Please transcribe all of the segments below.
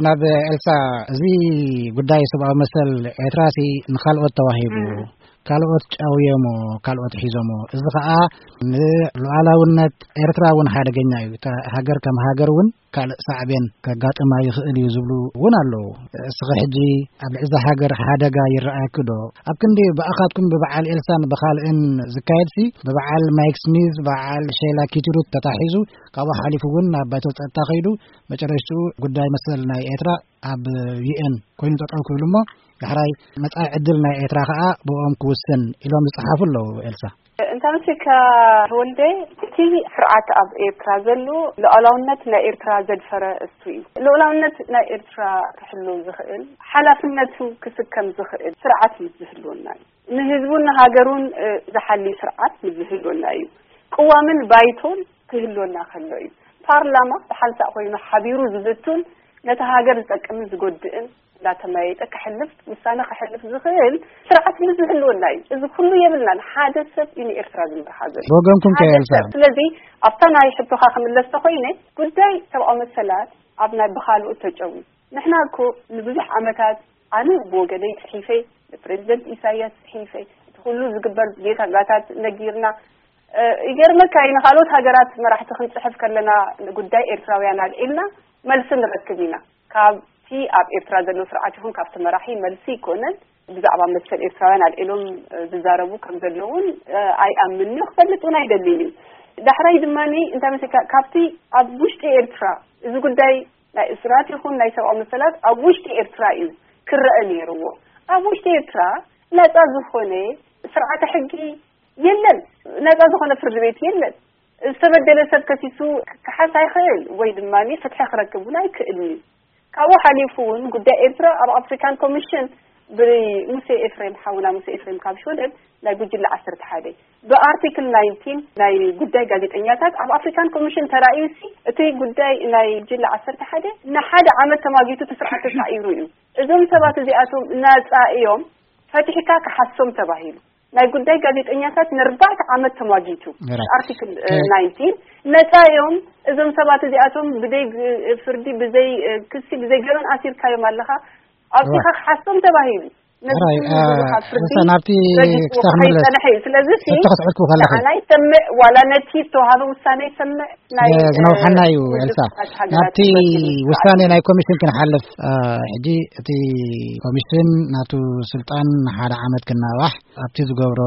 ናብ ኤልሳ፣ እዚ ጉዳይ ሰብኣዊ መሰል ኤርትራሲ ንኻልኦት ተዋሂቡ፣ ካልኦት ጨውዮሞ፣ ካልኦት ሒዞሞ፣ እዚ ኸኣ ንሉዓላውነት ኤርትራ እውን ሓደገኛ እዩ። እታ ሃገር ከም ሃገር እውን ካልእ ሳዕቤን ከጋጥማ ይኽእል እዩ ዝብሉ እውን ኣለዉ። እስኺ ሕጂ ኣብ ልዕሊ እዛ ሃገር ሓደጋ ይረኣየኪ ዶ? ኣብ ክንዲ ብኣኻትኩም ብበዓል ኤልሳን ብኻልእን ዝካየድሲ፣ ብበዓል ማይክ ስሚዝ፣ በዓል ሼላ ኪትሩት ተታሒዙ፣ ካብኡ ሓሊፉ እውን ናብ ባይቶ ጸጥታ ከይዱ፣ መጨረሽትኡ ጉዳይ መሰል ናይ ኤርትራ ኣብ ዩ ኤን ኮይኑ ጠጠው ክብል እሞ፣ ዳሕራይ መጻኢ ዕድል ናይ ኤርትራ ከኣ ብኦም ክውስን ኢሎም ዝጸሓፉ ኣለዉ። ኤልሳ። እንተ መሲልካ ተወልደ፣ እቲ ስርዓት ኣብ ኤርትራ ዘሎ ሉዓላውነት ናይ ኤርትራ ዘድፈረ እሱ እዩ። ሉዓላውነት ናይ ኤርትራ ክሕሉ ዝኽእል፣ ሓላፍነቱ ክስከም ዝኽእል ስርዓት ምስ ዝህልወና እዩ። ንህዝቡን ንሃገሩን፣ እ፣ ዝሓሊ ስርዓት ምስ ዝህልወና እዩ። ቅዋምን ባይቶን ክህልወና ከሎ እዩ። ፓርላማ ብሓንሳእ ኮይኑ ሓቢሩ ዝዝቱን ነቲ ሃገር ዝጠቅምን ዝጎድእን እንዳተመያየጠ ክሕልፍ፣ ውሳነ ክሕልፍ ዝኽእል ስርዓት ምስ ዝህልወና እዩ። እዚ ኩሉ የብልናን። ሓደ ሰብ እዩ ንኤርትራ ዝመርሓ ዘሎ። ብወገንኩም ከ ሓደ ኤልሳ? ሰብ። ስለዚ ኣብታ ናይ ሕቶኻ ክምለስ ተኾይነ፣ ጉዳይ ሰብኣዊ መሰላት ኣብ ናይ ብኻልኦት ተጨዊ። ንሕና እኮ ንብዙሕ ዓመታት ኣነ ብወገነይ ጽሒፈ፣ ንፕሬዚደንት ኢሳያስ ጽሒፈ፣ እቲ ኩሉ ዝግበር ጌጋታት ነጊርና። እ፣ ይገርመካ እዩ፣ ንኻልኦት ሃገራት መራሕቲ ክንጽሕፍ ከለና ንጉዳይ ኤርትራውያን ኣልዒልና መልሲ ንረክብ ኢና። ካብቲ ኣብ ኤርትራ ዘሎ ስርዓት ይኹን ካብቲ መራሒ መልሲ ይኮነን። ብዛዕባ መሰል ኤርትራውያን ኣልዒሎም፣ እ፣ ዝዛረቡ ከም ዘለውን፣ እ፣ ኣይኣምንን እዩ፣ ክፈልጥ እውን ኣይደልን እዩ። ዳሕራይ ድማ እንታይ መሲልካ፣ ካብቲ ኣብ ውሽጢ ኤርትራ እዚ ጉዳይ ናይ እስራት ይኹን ናይ ሰብኣዊ መሰላት ኣብ ውሽጢ ኤርትራ እዩ ክረአ ነይርዎ። ኣብ ውሽጢ ኤርትራ ነጻ ዝኾነ ስርዓተ ሕጊ የለን፣ ነጻ ዝኾነ ፍርዲ ቤት የለን። ዝተበደለ ሰብ ከሲሱ ክከሓስ ኣይኽእል ወይ ድማ ፍትሒ ክረክብ እውን ኣይክእልን እዩ። ካብኡ ሓሊፉ እውን ጉዳይ ኤርትራ ኣብ ኣፍሪካን ኮሚሽን ብሙሴ ኤፍሬም፣ ሓውና ሙሴ ኤፍሬም ካብ ሽወደን፣ ናይ ጉጅለ ዓሰርተ ሓደ ብኣርቲክል ናይንቲን ናይ ጉዳይ ጋዜጠኛታት ኣብ ኣፍሪካን ኮሚሽን ተራእዩሲ፣ እቲ ጉዳይ ናይ ጉጅለ ዓሰርተ ሓደ ንሓደ ዓመት ተማጊቱ እቲ ስርዓት ተሳዒሩ እዩ። እዞም ሰባት እዚኣቶም ናጻ እዮም፣ ፈቲሕካ ክሓሶም ተባሂሉ። ናይ ጉዳይ ጋዜጠኛታት ንኣርባዕተ ዓመት ተማጊቱ። ራይት። ኣርቲክል፣ እ፣ ከ- ናይንቲን ነጻ እዮም። እዞም ሰባት እዚኣቶም ብዘይ ግ-፣ ፍርዲ፣ ብዘይ፣ እ፣ ክሲ፣ ብዘይ ገበን ኣሲርካዮም ኣለኻ። ኣብዚኻ ራይት። ክሓሶም ተባሂሉ። ነዚ ራይት፣ ኩሉ እ፣ ዘለኻ ፍርዲ እሳ ናብቲ ረጊጽዎ ክሳብ ክምለስ ከይጸንሐ እዩ። ስለዚ ሲ ሕቶ ክትሕልኩ ከለኺ። ንዓና ይሰምዕ፣ ዋላ ነቲ ዝተዋሃበ ውሳነ ይሰምዕ። ናይ፣ ስለ ዝነውሓና እ፣ እዩ፣ ውድብ ኤልሳ። ሕቡራት ሃገራት ናብቲ ይመስል ውሳኔ ስርዓት ናይ ኮሚሽን ክንሓልፍ፣ እ፣ ሕጂ እቲ ኮሚሽን ናቱ ስልጣን ንሓደ ዓመት ክናዋሕ፣ ኣብቲ ዝገብሮ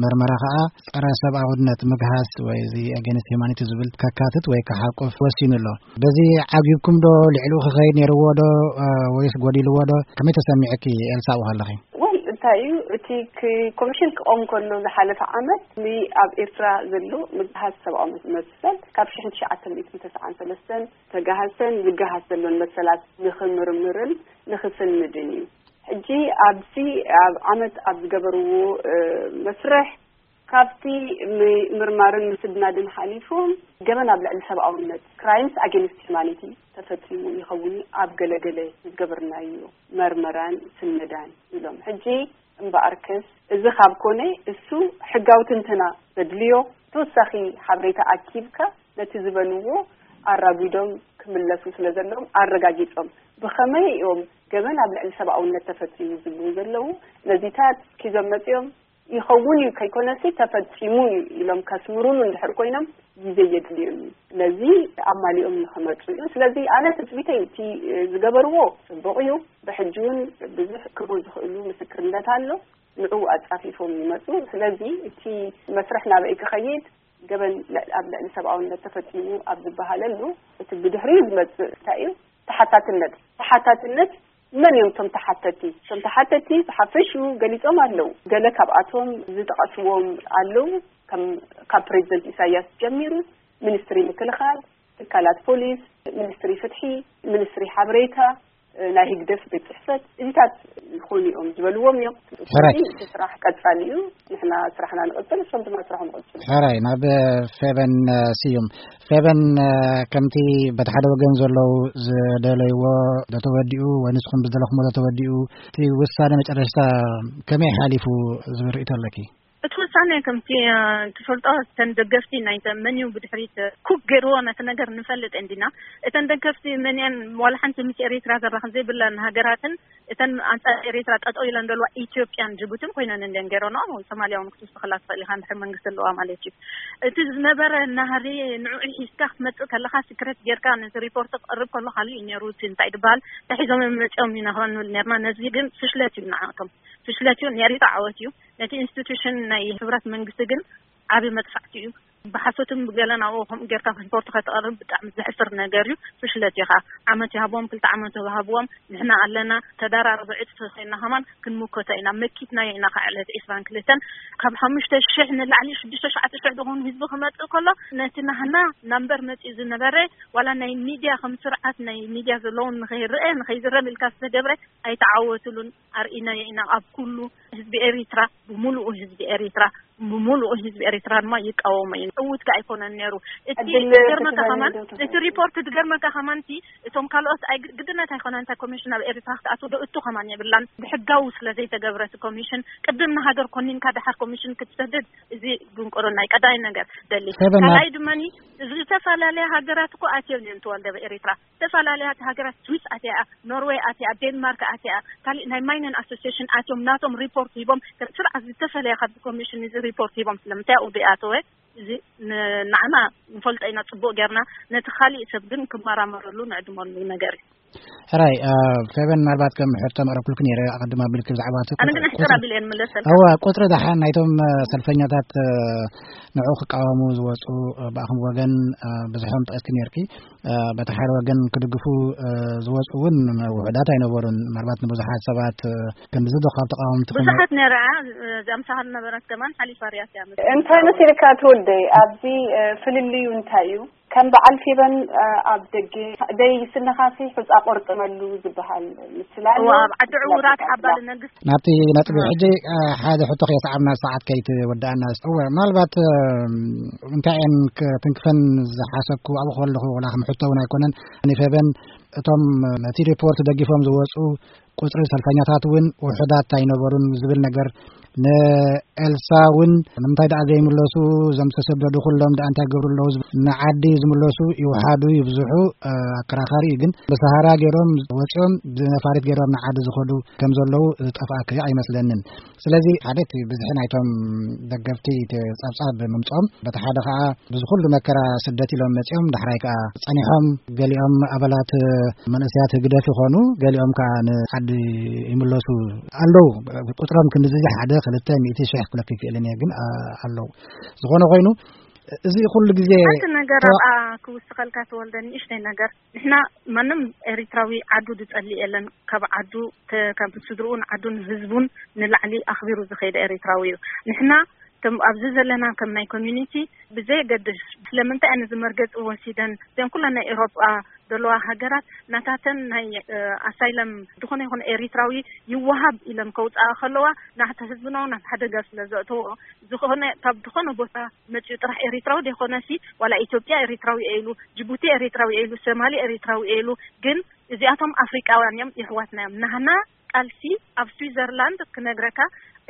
መርመራ ከኣ ጸረ ሰብኣውነት፣ ምግሃስ ወይ እዚ ኣጌንስት ሂውማኒቲ ዝብል ከካትት ወይ ክሓቁፍ ወሲኑ ኣሎ። በዚ ዓጊብኩም ዶ? ልዕሊኡ ክኸይድ ነይርዎ ዶ? እ፣ ወይስ ጎዲልዎ ዶ? ከመይ ተሰሚዕኪ ኤልሳ ኣብኡ ከለኺ? ወይ እንታይ እዩ እቲ ክ-፣ ኮሚሽን ክቆም ከሎ ዝሓለፈ ዓመት ን-፣ ኣብ ኤርትራ ዘሎ ምግሃስ ሰብኣዊ መሰል ካብ ሽሕን ትሽዓተ ሚእትን ተስዓን ሰለስተን ተጋሃሰን ዝጋሃስ ዘሎን መሰላት ንኽምርምርን ንኽስንድን እዩ። ሕጂ ኣብዚ ኣብ ዓመት ኣብ ዝገበርዎ፣ እ፣ መስርሕ ካብቲ ም-፣ ምርማርን ምስድናድን ሓሊፎም ገበን ኣብ ልዕሊ ሰብኣውነት፣ ክራይምስ ኣጌንስት ሂውማኒቲ፣ ተፈጺሙ ይኸውን ኣብ ገለገለ ዝገበርናዮ መርመራን ስነዳን ኢሎም። ሕጂ እምበኣርከስ እዚ ካብ ኮነ እሱ ሕጋዊ ትንተና ዘድልዮ ተወሳኺ ሓበሬታ ኣኪብካ ነቲ ዝበልዎ ኣራጒዶም ክምለሱ ስለ ዘለዎም ኣረጋጊጾም ብኸመይ እዮም ገበን ኣብ ልዕሊ ሰብኣውነት ተፈጺሙ ዝብሉ ዘለዉ ነዚታት ሒዞም መጺኦም ይኸውን እዩ ከይኮነሲ ተፈጺሙ እዩ ኢሎም ከስምሩሉ እንድሕር ኮይኖም ግዜ የድልዮም እዩ። ስለዚ ኣማሊኦም ንኽመጹ እዩ። ስለዚ ኣነ ትጽቢተይ እቲ ዝገበርዎ ጽቡቕ እዩ። ብሕጂ እውን ብዙሕ ክህቡ ዝኽእሉ ምስክርነት ኣሎ። ንዕኡ ኣጻፊፎም ይመጹ። ስለዚ እቲ መስርሕ ናበይ ክኸይድ፣ ገበን ል-፣ ኣብ ልዕሊ ሰብኣውነት ተፈጺሙ ኣብ ዝበሃለሉ እቲ ብድሕሪኡ ዝመጽእ እንታይ እዩ? ተሓታትነት። ተሓታትነት መን እዮም እቶም ተሓተቲ? እቶም ተሓተቲ ብሓፈሽኡ ገሊጾም ኣለዉ። ገለ ካብኣቶም ዝጠቐስዎም ኣለዉ። ከም፣ ካብ ፕሬዚደንት ኢሳያስ ጀሚሩ፣ ሚኒስትሪ ምክልኻል፣ ትካላት ፖሊስ፣ ሚኒስትሪ ፍትሒ፣ ሚኒስትሪ ሓበሬታ፣ ናይ ህግደፍ ቤት ጽሕፈት፣ እዚታት ዝኾኑ እዮም ዝበልዎም እዮም። ሕራይ። ስለዚ እቲ ስራሕ ቀጻሊ እዩ። ንሕና ስራሕና ንቐጽል፣ እሶም ድማ ስራሖም ይቐጽሉ። ሕራይ፣ ናብ ፌበን ስዩም። ፌበን፣ ከምቲ በቲ ሓደ ወገን ዘለዉ ዝደለይዎ ዶ ተወዲኡ፣ ወይ ንስኹም ዝደለኹሞ ዶ ተወዲኡ፣ እቲ ውሳነ መጨረሽታ ከመይ ሓሊፉ ዝብል ርእይቶ ኣለኪ? እቲ ብሳነ ከምቲ ትፈልጦ፣ እተን ደገፍቲ ናይተ መን እዩ ብድሕሪት ኩክ ገይርዎ ነቲ ነገር ንፈልጥ እንዲና። እተን ደገፍቲ መን እየን? ዋላ ሓንቲ ምስ ኤሪትራ ዘራኽብ ዘይብለን ሃገራትን እተን ኣንጻር ኤሪትራ ጠጠው ኢለን ዘለዋ ኢትዮጵያን ጅቡትን ኮይነን እንዲን ገይረንኦ። ሶማልያ እውን ክትውስኸላ ትኽእል ኢኻ፣ እንድሕር መንግስቲ ኣለዋ ማለት እዩ። እቲ ዝነበረ ናህሪ ንዕኡ ሒዝካ ክትመጽእ ከለኻ፣ ሲክሬት ጌርካ ነቲ ሪፖርት ክቕርብ ከሎ ካልእ እዩ ነይሩ። እቲ እንታይ ድበሃል፣ ተሒዞም እዮም መጺኦም ኢና ክንብል ነርና። ነዚ ግን ፍሽለት እዩ ንዓቶም፣ ፍሽለት እዩ። ንኤሪትራ ዓወት እዩ። ነቲ ኢንስቲቱሽን ናይ ህብራት መንግስቲ ግን ዓቢ መጥፋዕቲ እዩ። ብሓሶትን ብገለ ናብኡ ከምኡ ጌርካ ሪፖርት ከተቕርብ ብጣዕሚ ዘሕፍር ነገር እዩ። ፍሽለት እዩ ከዓ። ዓመት ይሃብዎም፣ ክልተ ዓመት ይሃብዎም፣ ንሕና ኣለና። ተደራረበ ዕጽፊ ኮይና ከማን ክንምከቶ ኢና። መኪትናዮ ኢና ከዓ ዕለት ዒስራን ክልተን። ካብ ሓሙሽተ ሽሕ ንላዕሊ ሽዱሽተ ሸዓተ ሽሕ ዝኾኑ ህዝቢ ክመጽእ ከሎ፣ ነቲ ናህና ናምበር መጺኡ ዝነበረ፣ ዋላ ናይ ሚድያ ከም ስርዓት ናይ ሚድያ ዘለውን ንኸይረአ ንኸይዝረብ ኢልካ ዝተገብረ ኣይተዓወትሉን። ኣርኢናዮ ኢና ኣብ ኩሉ ህዝቢ ኤሪትራ፣ ብምሉኡ ህዝቢ ኤሪትራ፣ ብምሉኡ ህዝቢ ኤሪትራ ድማ ይቃወሞ እዩ። ዕዉት ከ ኣይኮነን ነይሩ። እቲ ዕድል ዝገርመካ ክትበኒ ከማን፣ ዶ ትኽእል? እቲ ሪፖርት ዝገርመካ ከማን፣ እቲ እቶም ካልኦት ኣይ-፣ ግድነት ኣይኮነን፣ እንታይ ኮሚሽን ናብ ኤሪትራ ክትኣቱ ዶ እቱ ከማን የብላን። ብሕጋዊ ስለ ዘይተገብረ እቲ ኮሚሽን፣ ቅድም ንሃገር ኮኒንካ ደሓር ኮሚሽን ክትሰድድ፣ እዚ ድንቁርና እዩ። ቀዳይ ነገር ደሊ። ሰበናት ካልኣይ ድማኒ፣ ዝተፈላለያ ሃገራት እኮ ኣትዮም እዮም ተወልደ ኤሪትራ። ዝተፈላለያ ሃገራት፣ ስዊስ ኣትያ፣ ኖርዌይ ኣትያ፣ ዴንማርክ ኣትያ፣ ካሊእ ናይ ማይነን ኣሶሲሽን ኣትዮም ናቶም ሪፖርት ሂቦም። ከም ስርዓት ዝተፈለየ ካብ ኮሚሽን እዚ ሪፖርት ሂቦም። ስለምንታይ ኣብኡ ዘይኣተወ? እዚ ን-፣ ንዓና ንፈልጦ ኢና ጽቡቕ ጌርና። ነቲ ካሊእ ሰብ ግን ክመራመረሉ ንዕድመሉ ነገር እዩ። ሕራይ፣ እ፣ ፌበን፣ ምናልባት ከም ሕቶ መቕረብኩልክ ነይረ፣ ኣቐድም ኣቢልክ ብዛዕባ እቲ ኣነ ግን ቁጽሪ፣ ሕጽር ኣቢለ እየ ንምለሰልካ። እወ፣ ቁጽሪ ደሓን ናይቶም፣ እ፣ ሰልፈኛታት፣ እ፣ ንዕኡ ክቃወሙ ዝወጹ፣ እ፣ ብኣኹም ወገን፣ እ፣ ብዙሖም ጠቂስኪ ነይርኪ። እ፣ በቲ ሓደ ወገን ክድግፉ፣ እ፣ ዝወጹ እውን ውሑዳት ኣይነበሩን። ምናልባት ንብዙሓት ሰባት፣ እ፣ ክንድዚ ዶ ካብ ተቃወምቲ ክም- ብዙሓት ነይራ፣ እ፣ እዚኣ ምሳኻ ዝነበረት ከማን ሓሊፋ ርያት እያ። እንታይ መሲልካ ትወደይ? ኣብዚ፣ እ፣ ፍልልዩ እንታይ እዩ? ከም በዓል ፌበን፣ እ፣ ኣብ ደገ ደይ ስንኻሲ ሑጻ ቆርጥመሉ ዝበሃል ምስላ ኣሎ። እዋ፣ ኣብ ዓዲ ዕውራት ሓባ ንነግስ ናብቲ ነጥቢ እዋ። ሕጂ፣ እ፣ ሓደ ሕቶ ከየሰዓብና ሰዓት ከይትወድኣና። እወ፣ ምናልባት፣ እ፣ እንታይ እየን ክትንክፈን ዝሓሰብኩ ኣብኡ ከለኹ፣ ወላ ከም ሕቶ እውን ኣይኮነን። ንፌበን፣ እቶም ነቲ ሪፖርት ደጊፎም ዝወጹ ቁጽሪ ሰልፈኛታት እውን ውሑዳት ኣይነበሩን ዝብል ነገር፣ ንኤልሳ እውን ንምንታይ ደኣ ዘይምለሱ፣ እዞም ዝተሰደዱ ኩሎም ደኣ እንታይ ገብሩ ኣለዉ ዝብል፣ ንዓዲ ዝምለሱ ይውሓዱ ይብዝሑ፣ እ፣ ኣከራኻሪ እዩ። ግን ብሰሃራ ገይሮም ወጺኦም ብነፋሪት ገይሮም ንዓዲ ዝኸዱ ከም ዘለዉ ዝጠፍኣኪ ኣይመስለንን። ስለዚ ሓደ እቲ ብዝሒ ናይቶም ደገፍቲ እቲ ጸብጻብ ምምጽኦም፣ በቲ ሓደ ኸኣ ብዚ ኩሉ መከራ ስደት ኢሎም መጺኦም፣ ዳሕራይ ከኣ ጸኒሖም፣ ገሊኦም ኣባላት መንእሰያት ህግደፍ ይኾኑ፣ ገሊኦም ከኣ ንዓዲ ይምለሱ ኣለዉ። ቁጽሮም ክንድዚ ሓደ፣ ክልተ፣ ሚእቲ፣ ሽሕ ክብለኪ ክእልን እየ፣ ግን፣ ኣ-፣ ኣለዉ። ዝኾነ ኮይኑ፣ እዚ ኩሉ ግዜ ሓንቲ ነገር ተዋ- ኣብኣ ክውስኸልካ ተወልደ፣ ንእሽተይ ነገር። ንሕና ማንም ኤሪትራዊ ዓዱ ዝጸልእ የለን። ካብ ዓዱ፣ ከ-፣ ካብ ስድርኡን ዓዱን ህዝቡን ንላዕሊ ኣኽቢሩ ዝኸይደ ኤሪትራዊ እዩ። ንሕና ከም ኣብዚ ዘለና ከም ናይ ኮሚኒቲ ብዘየገድስ ስለምንታይ ኣነ እዚ መርገጺ ወሲደን እዘን ኩለን ናይ ኤውሮጳ ዘለዋ ሃገራት ናታተን ናይ፣ እ፣ ኣሳይለም ዝኾነ ይኹን ኤሪትራዊ ይወሃብ ኢለን ከውጻኣ ከለዋ ናሕቲ ህዝብና እውን ኣብ ሓደጋ ስለ ዘእተዎ ዝኾነ ካብ ዝኾነ ቦታ መጺኡ ጥራሕ ኤሪትራዊ ዘይኮነሲ ዋላ ኢትዮጵያ ኤሪትራዊ እየ ኢሉ፣ ጅቡቲ ኤሪትራዊ እየ ኢሉ፣ ሶማሊ ኤሪትራዊ እየ ኢሉ፣ ግን እዚኣቶም ኣፍሪቃውያን እዮም፣ የሕዋትና እዮም። ናህና ቃልሲ ኣብ ስዊዘርላንድ ክነግረካ፣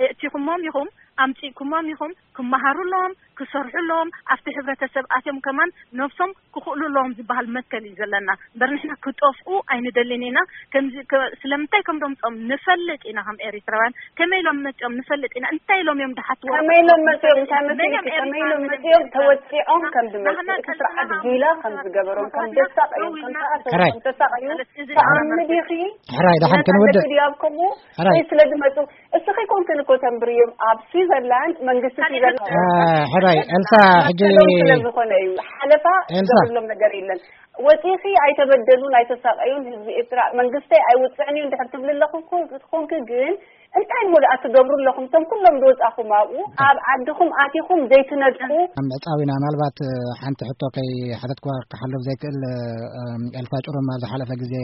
እእቲኹሞም ኢኹም፣ ኣምጺእኩሞም ኢኹም፣ ክመሃሩ ኣለዎም፣ ክሰርሑ ኣለዎም፣ ኣብቲ ሕብረተሰብ ኣትዮም ከማን ነብሶም ክኽእሉ ኣለዎም ዝበሃል መትከል እዩ ዘለና። እምበር ንሕና ክጠፍኡ ኣይንደልን ኢና። ከምዚ ከ-፣ ስለምንታይ ከም ደምጾም ንፈልጥ ኢና፣ ከም ኤሪትራውያን ከመይ ኢሎም መጺኦም ንፈልጥ ኢና። እንታይ ኢሎም እዮም ድሓትዎ? ከመይ ኢሎም መጺኦም? እንታይ መን እዮም መሲልኪ? ከመይ ኢሎም ኤሪትራውያን? መጺኦም? ተወጺዖም ከም ዝመጹ፣ ናህና እቲ ስርዓት ቀልስና ጊላ ከም ዝገበሮም፣ ከም መጽዋዕና ዘሳቐዮም፣ ደው ከም ኢልና ዝኣሰሮም፣ ሕራይ። ከም ዘሳቐዮም ሕራይ፣ ደሓን ተኣምድ ኢኺ? ሕራይ፣ ደሓን ክንውድእ። ድዩ ኣብ ከምኡ? ሕራይ። ወይ ስለ ዝመጹ እስኺ ኮንክን እኮ ተንብርዮም ኣብ ስዊዘርላንድ መንግስቲ ካልእ ስዊዘርላንድ ሕቶ። እ፣ ሕራይ፣ ኤልሳ፣ ሕጂ ኣተለው ስለ ዝኾነ እዩ። ሓለፋ ኤልሳ። ዝገብርሎም ነገር የለን። ወፂኺ ኣይተበደሉን ኣይተሳቀዩን ህዝቢ ኤርትራ መንግስተይ ኣይውፅዕን እዩ እንድሕር ትብሊ ኣለኹ እኮ ክትኾንኪ ግን እንታይ እሞ ደኣ ትገብሩ ኣለኹም? እቶም ኩሎም ዝወፃኹም ኣብኡ ኣብ ዓድኹም ኣቲኹም ዘይትነድቁ። ኣብ ምዕጻው ኢና። ምናልባት፣ እ፣ ሓንቲ ሕቶ ከይሓተትኩዋ ክሓልፍ ዘይክእል፣ እ፣ ኤልሳ ጭሩም ኣብ ዝሓለፈ ግዜ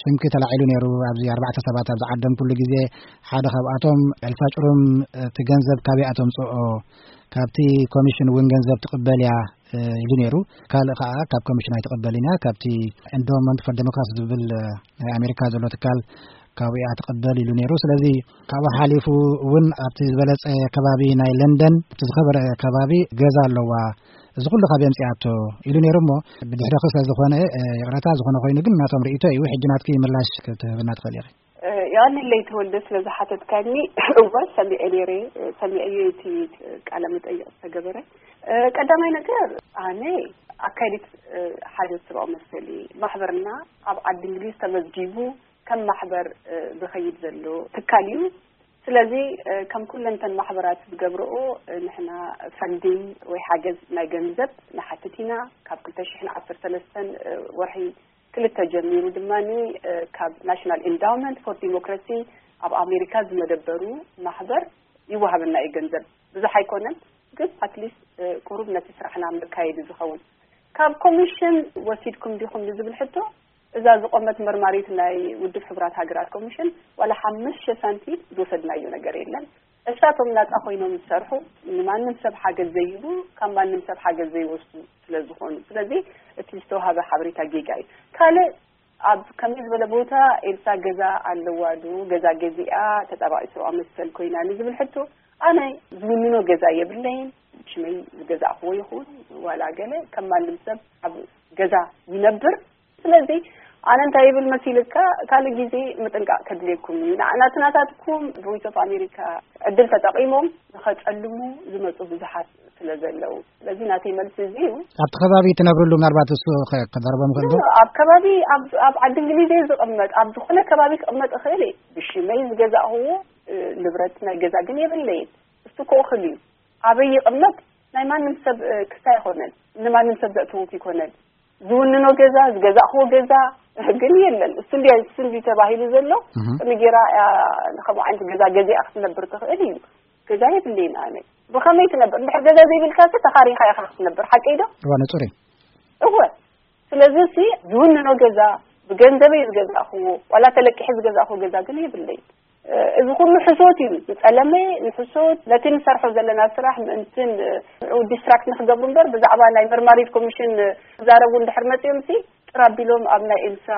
ሽምኪ ተላዒሉ ነይሩ። ኣብዚ ኣርባዕተ ሰባት ኣብ ዝዓደምኩሉ ግዜ ሓደ ካብኣቶም፣ "ኤልሳ ጭሩም፣ እቲ ገንዘብ ካበይ ኣተምጽኦ? ካብቲ ኮሚሽን እውን ገንዘብ ትቕበል እያ?" ኢሉ ነይሩ። ካልእ ከኣ፣ "ካብ ኮሚሽን ኣይትቕበልን እያ፣ ካብቲ ኤንዶመንት ፎር ዴሞክራሲ ዝብል ናይ ኣሜሪካ ዘሎ ትካል ካብኡ እያ ትቕበል ኢሉ ነይሩ። ስለዚ ካብኡ ሓሊፉ እውን ኣብቲ ዝበለጸ ከባቢ ናይ ለንደን፣ ኣብቲ ዝኸበረ ከባቢ ገዛ ኣለዋ። እዚ ኩሉ ካብ የምጽኣቶ ኢሉ ነይሩ እሞ፣ ብድሕረኺ ስለ ዝኾነ፣ እ፣ ይቕረታ ዝኾነ ኮይኑ ግን ናቶም ርእይቶ እዩ። ሕጂ ናትኪ ምላሽ ክትህብና ትኽእል ኢኺ። እ፣ የቐንየለይ ተወልደ ስለ ዝሓተትካኒ። እወ፣ ሰሚዐ ነይረ፣ እ፣ ሰሚዐዮ እቲ ቃለ መጠይቕ ዝተገበረ። እ፣ ቀዳማይ ነገር ኣነ ኣካይዲት፣ እ፣ ሓደ ሰብኣዊ መሰል እየ። ማሕበርና ኣብ ዓዲ እንግሊዝ ተመዝጊቡ ከም ማሕበር፣ እ፣ ዝኸይድ ዘሎ ትካል እዩ። ስለዚ፣ እ፣ ከም ኩለንተን ማሕበራት ዝገብርኦ፣ እ፣ ንሕና ፈንዲንግ ወይ ሓገዝ ናይ ገንዘብ ንሓትት ኢና። ካብ ክልተ ሽሕን ዓሰርተ ሰለስተን፣ እ፣ ወርሒ ክልተ ጀሚሩ ድማ፣ እ፣ ካብ ናሽናል ኢንዳውመንት ፎር ዲሞክራሲ ኣብ ኣሜሪካ ዝመደበሩ ማሕበር ይወሃበና እዩ ገንዘብ። ብዙሕ ኣይኮነን፣ ግን ኣትሊስት፣ እ፣ ቁሩብ ነቲ ስራሕና መካየዲ ዝኸውን። ካብ ኮሚሽን ወሲድኩም ዲኹም ንዝብል ሕቶ፣ እዛ ዝቆመት መርማሪት ናይ ውድብ ሕቡራት ሃገራት ኮሚሽን ዋላ ሓሙሽተ ሳንቲም ዝወሰድናዮ ነገር የለን። እሳቶም ናጻ ኮይኖም ዝሰርሑ፣ ንማንም ሰብ ሓገዝ ዘይህቡ፣ ካብ ማንም ሰብ ሓገዝ ዘይወስዱ ስለ ዝኾኑ። ስለዚ እቲ ዝተዋሃበ ሓበሬታ ጌጋ እዩ። ካልእ፣ ኣብ ከመይ ዝበለ ቦታ ኤልሳ ገዛ ኣለዋ ዶ? ገዛ ገዚኣ ተጣባቒት ሰብኣዊ መሰል ኮይና ንዝብል ሕቶ፣ ኣነ ዝውንኖ ገዛ የብለይን። ሽመይ ዝገዛእክዎ ይኹን ዋላ ገለ፣ ከም ማንም ሰብ ኣብ ገዛ ይነብር። ስለዚ ኣነ እንታይ ይብል መሲልካ፣ ካልእ ግዜ ምጥንቃቕ ከድልየኩም እዩ። ንዓ-፣ ናትናታትኩም ቮይስ ኦፍ ኣሜሪካ ዕድል ተጠቒሞም ንኸጸልሙ ዝመጹ ብዙሓት ስለ ዘለዉ። ስለዚ ናተይ መልሲ እዚ እዩ። ኣብቲ ከባቢ ትነብርሉ፣ ምናልባት እሱ ከ-፣ ከዛርቦም ይኽእል ዶ? ኣብ ከባቢ፣ ኣብ፣ ኣብ ዓዲ እንግሊዝ እየ ዝቕመጥ። ኣብ ዝኾነ ከባቢ ክቕመጥ እኽእል እየ። ብሽመይ ዝገዛእኽዎ፣ እ፣ ንብረት ናይ ገዛ ግን የብለይን። እሱ ክእኽል እዩ። ኣበይ ይቕመጥ ናይ ማንም ሰብ፣ እ፣ ክስታይ ኣይኮነን። ንማንም ሰብ ዘእትውት ይኮነን። ዝውንኖ ገዛ፣ ዝገዛእኽዎ ገዛ ግን የለን። እሱ እንዲ-፣ እሱ እንዲ ተባሂሉ ዘሎ፣ እህ። ከመይ ጌራ እያ ንከምኡ ዓይነት ገዛ ገዚኣ ክትነብር ትኽእል እዩ? ገዛ የብለይን ኣነ። ብኸመይ ትነብር? እንድሕር ገዛ ዘይብልካ፣ ተኻሪኻ ኢኻ ክትነብር። ሓቀይ ዶ? እዋ፣ ንጹር እዩ። እወ። ስለዚ፣ እዚ ዝውንኖ ገዛ፣ ብገንዘበይ ዝገዛእኽዎ፣ ዋላ ተለቂሐ ዝገዛእኽዎ ገዛ ግን የብለይን። እ፣ እዚ ኩሉ ሕሶት እዩ። ዝጸለመ ንሕሶት፣ ነቲ ንሰርሖ ዘለና ስራሕ ምእንትን፣ እ፣ ንዕኡ ዲስትራክት ንክገብሩ እምበር፣ ብዛዕባ ናይ መርማሪት ኮሚሽን፣ እ፣ ክዛረቡ እንድሕር መጺኦም ሲ፣ ጥር ኣቢሎም ኣብ ናይ ኤልሳ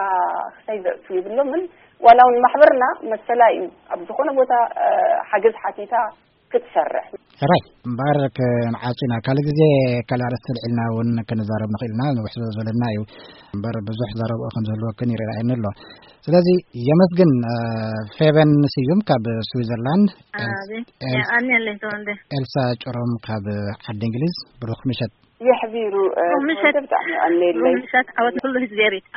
ክሳይ ዘእቱ ይብሎምን። ዋላ እውን ማሕበርና መሰላ እዩ ኣብ ዝኾነ ቦታ፣ እ፣ ሓገዝ ሓቲታ ክትሰርሕ። ሕራይ እምበኣር ክንዓጹ ኢና። ካልእ ግዜ ካልእ ኣርእስቲ ልዒልና እውን ክንዛረብ ንኽእል ኢና። ንውሕ ስለ ዝበለና እዩ እምበር ብዙሕ ዘረብኦ ከም ዝህልወክን ይረኣየኒ ኣሎ። ስለዚ የመስግን፣ እ፣ ፌበን ስዩም ካብ ስዊዘርላንድ፣ ኤልስ-፣ ኣቤት፣ ኤልስ-፣ የቐንየለይ ተወልደ። ኤልሳ ጭሮም ካብ ዓዲ እንግሊዝ። ብሩኽ ምሸት። የሕቢሩ፣ እ፣ ብሩኽ ምሸት። ተወልደ ብጣዕሚ የቐንየለይ። ብሩኽ ምሸት ዓወት ንኩሉ ህዝቢ ኤሪትራ።